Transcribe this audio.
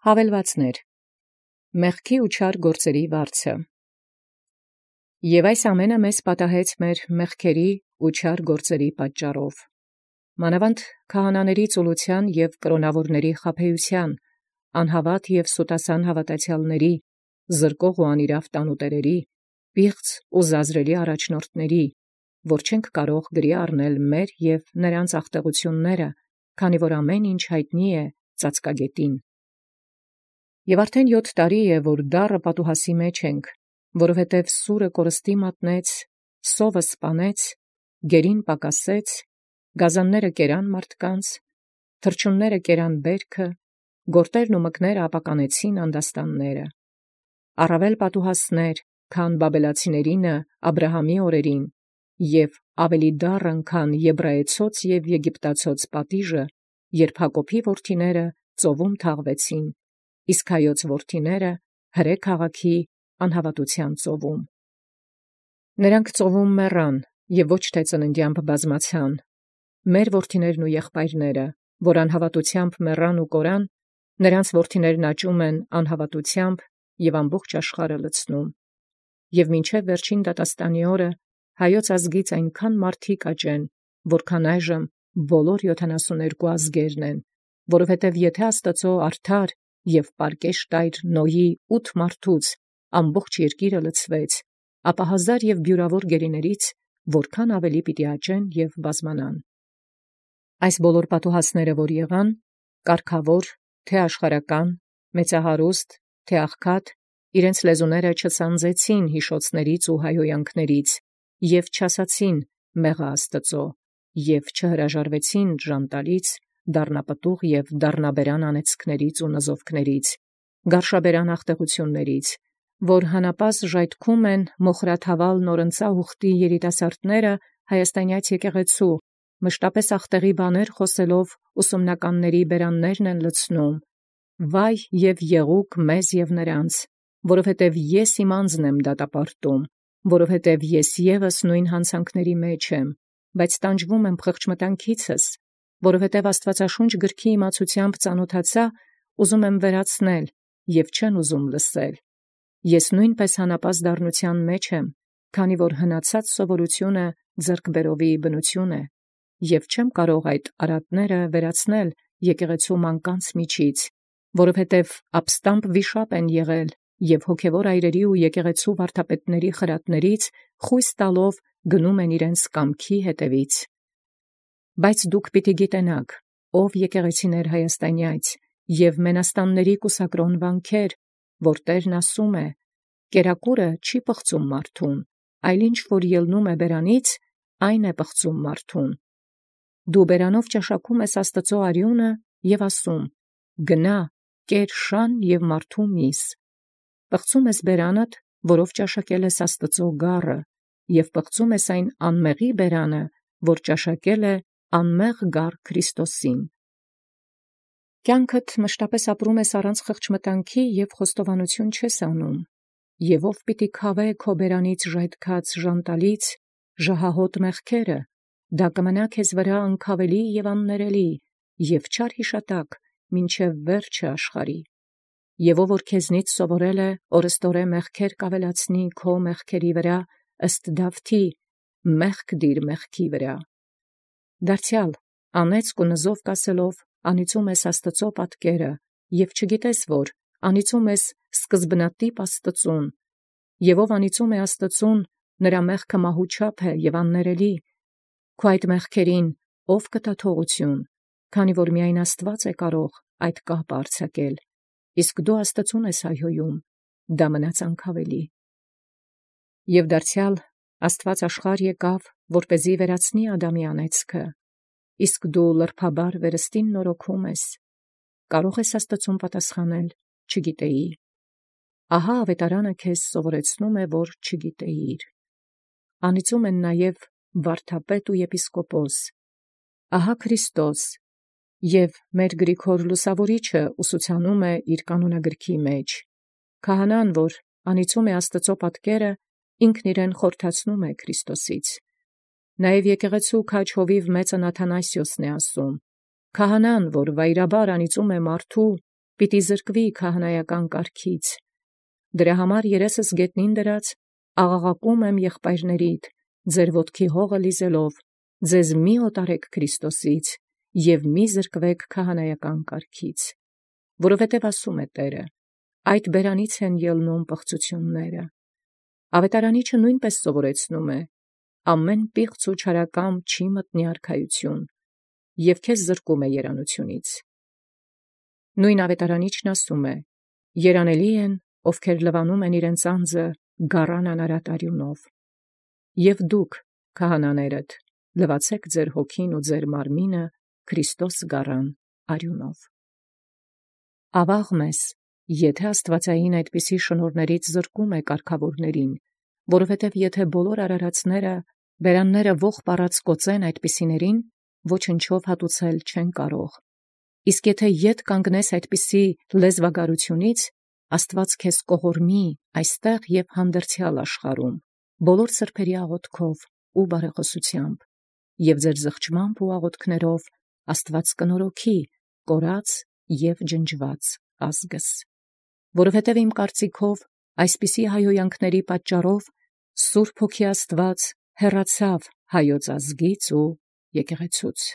Հավելվածներ. մեղքի ու չար գործերի վարձը։ Եվ այս ամենը մեզ պատահեց մեր մեղքերի ու չար գործերի պատճառով։ Մանավանդ քահանաների ծուլության և կրոնավորների խաբեության, անհավատ և սուտասան հավատացյալների, զրկող ու անիրավ տանուտերերի, պիղծ ու զազրելի առաջնորդների, որ չենք կարող գրի առնել մեր և նրանց աղտեղությունները, քանի որ ամեն ինչ հայտնի է ծածկագետին։ Եվ արդեն 7 տարի է, որ դառը պատուհասի մեջ ենք, որովհետև սուրը կորստի մատնեց, սովը սպանեց, գերին պակասեց, գազանները կերան մարդկանց, թռչունները կերան բերքը, գորտերն ու մկները ապականեցին անդաստանները։ Առավել պատուհասներ, քան բաբելացիներինը Աբրահամի օրերին, և ավելի դառն, քան եբրայեցոց և եգիպտացոց պատիժը, երբ Հակոբի որդիները ծովում թաղվեցին, իսկ հայոց որդիները հրե քաղաքի անհավատության ծովում։ Նրանք ծովում մեռան և ոչ թե ծննդյամբ բազմացան։ Մեր որդիներն ու եղբայրները, որ անհավատությամբ մեռան ու կորան, նրանց որդիներն աճում են անհավատությամբ և ամբողջ աշխարհը լցնում։ Եվ մինչև վերջին դատաստանի օրը հայոց ազգից այնքան մարդիկ աճեն, որքան այժմ բոլոր 72 ազգերն են, որովհետև եթե Աստծո արդար և պարկեշտ այր Նոյի 8 մարդուց ամբողջ երկիրը լցվեց, ապա հազար և բյուրավոր գերիներից որքան ավելի պիտի աճեն և բազմանան։ Այս բոլոր պատուհասները, որ եղան, կարգավոր, թե աշխարհական, մեծահարուստ, թե աղքատ, իրենց լեզուները չծանձեցին հիշոցներից ու հայհոյանքներից, և չասացին մեղա Աստծո, և չհրաժարվեցին ժանտալից, դառնապտուղ և դառնաբերան անեծքներից ու նզովքներից, գարշաբերան աղտեղություններից, որ հանապազդ ժայթքում են մոխրաթավալ նորընծա ուխտի երիտասարդները հայաստանյաց եկեղեցու, մշտապես աղտեղի բաներ խոսելով ուսումնականների բերաններն են լցնում։ Վայ և եղուկ մեզ և նրանց, որովհետև ես իմ անձն եմ դատապարտում, որովհետև ես ևս նույն հանցանքների մեջ եմ, բայց տանջվում եմ խղճմտանքիցս, որովհետև Աստվածաշունչ գրքի իմացությամբ ծանոթացա, ուզում եմ վերացնել, և չեն ուզում լսել։ Ես նույնպես հանապազդ դառնության մեջ եմ, քանի որ հնացած սովորությունը ձեռքբերովի բնություն է, և չեմ կարող այդ արատները վերացնել եկեղեցու մանկանց միջից, որովհետև ապստամբ վիշապ են եղել և հոգևոր այրերի ու եկեղեցու վարդապետների խրատներից խույս տալով գնում են իրենց կամքի հետևից։ Բայց դուք պիտի գիտենաք, ով եկեղեցիներ հայաստանյաց և մենաստանների կուսակրոն վանքեր, որ Տերն ասում է. «Կերակուրը չի պղծում մարդուն, այլ ինչ որ ելնում է բերանից, այն է պղծում մարդուն»։ Դու բերանով ճաշակում ես Աստծո արյունը և ասում. «Գնա, կեր շան և մարդու միս»։ Պղծում ես բերանդ, որով ճաշակել ես Աստծո գառը, և պղծում ես այն անմեղի բերանը, որ ճաշակել է անմեղ գառ Քրիստոսին։ Կյանքդ մշտապես ապրում ես առանց խղճմտանքի և խոստովանություն չես անում, և ով պիտի քավե քո բերանից ժայթքած ժանտալից ժահահոտ մեղքերը, դա կմնա քեզ վրա անքավելի և աններելի, և չար հիշատակ մինչև վերջը աշխարհի։ Եվ ով որ քեզնից սովորել է օրըստորե մեղքեր կավելացնի քո մեղքերի վրա, ըստ Դավթի, մեղք դիր մեղքի վրա։ Դարձյալ անեծք ու նզովք ասելով անիծում ես Աստծո պատկերը, և չգիտես, որ անիծում ես սկզբնատիպ Աստծուն, և ով անիծում է Աստծուն, նրա մեղքը մահու չափ է և աններելի։ Քո այդ մեղքերին ով կտա թողություն, քանի որ միայն Աստված է կարող այդ կապը արձակել, իսկ դու Աստծուն ես հայհոյում, դա մնաց անքավելի։ Եվ դարձյալ Աստված աշխարհ եկավ, որպեսզի վերացնի Ադամի անեծքը, իսկ դու լրբաբար վերստին նորոգում ես։ Կարող ես Աստծուն պատասխանել. չգիտեի։ Ահա ավետարանը քեզ սովորեցնում է, որ չգիտեիր։ Անիծում են նաև վարդապետ ու եպիսկոպոս։ Ահա Քրիստոս, և մեր Գրիգոր Լուսավորիչը ուսուցանում է իր կանոնագրքի մեջ. քահանան, որ անիծում է Աստծո պատկերը, ինքն իրեն խորթացնում է Քրիստոսից։ Նաև եկեղեցու քաջ հովիվ մեծն Աթանասիոսն է ասում. քահանան, որ վայրաբար անիծում է մարդու, պիտի զրկվի քահանայական կարգից։ Դրա համար երեսս գետնին դրած, աղաղակում եմ եղբայրներիդ, ձեր ոտքի հողը լիզելով, ձեզ մի օտարեք Քրիստոսից և մի զրկվեք քահանայական կարգից, որովհետև ասում է Տերը. այդ բերանից են ելնում պղծությունները։ Ավետարանիչը նույնպես սովորեցնում է. ամեն պիղծ ու չարակամ չի մտնի արքայություն, և քեզ զրկում է երանությունից։ Նույն ավետարանիչն ասում է. երանելի են, ովքեր լվանում են իրենց անձը գառան անարատ արյունով։ Եվ դուք, քահանաներդ, լվացեք ձեր հոգին ու ձեր մարմինը Քրիստոս գառան արյունով։ Ավաղ մեզ, եթե աստվածային այդպիսի շնորհներից զրկում է կարգավորներին, որովհետև եթե բոլոր արարածները բերանները ողջ պառած կոծեն այդպիսիներին, ոչնչով հատուցել չեն կարող։ Իսկ եթե ետ կանգնես այդպիսի լեզվագարությունից, Աստված քեզ կողորմի այստեղ և հանդերձյալ աշխարհում, բոլոր սրբերի աղոթքով ու բարեխոսությամբ, և ձեր զղջմամբ ու աղոթքներով Աստված կնորոգի կորած և ջնջված ազգս։ Որովհետև իմ կարծիքով այսպիսի հայհոյանքների պատճառով Սուրբ Հոգի Աստված հեռացավ հայոց ազգից ու եկեղեցուց։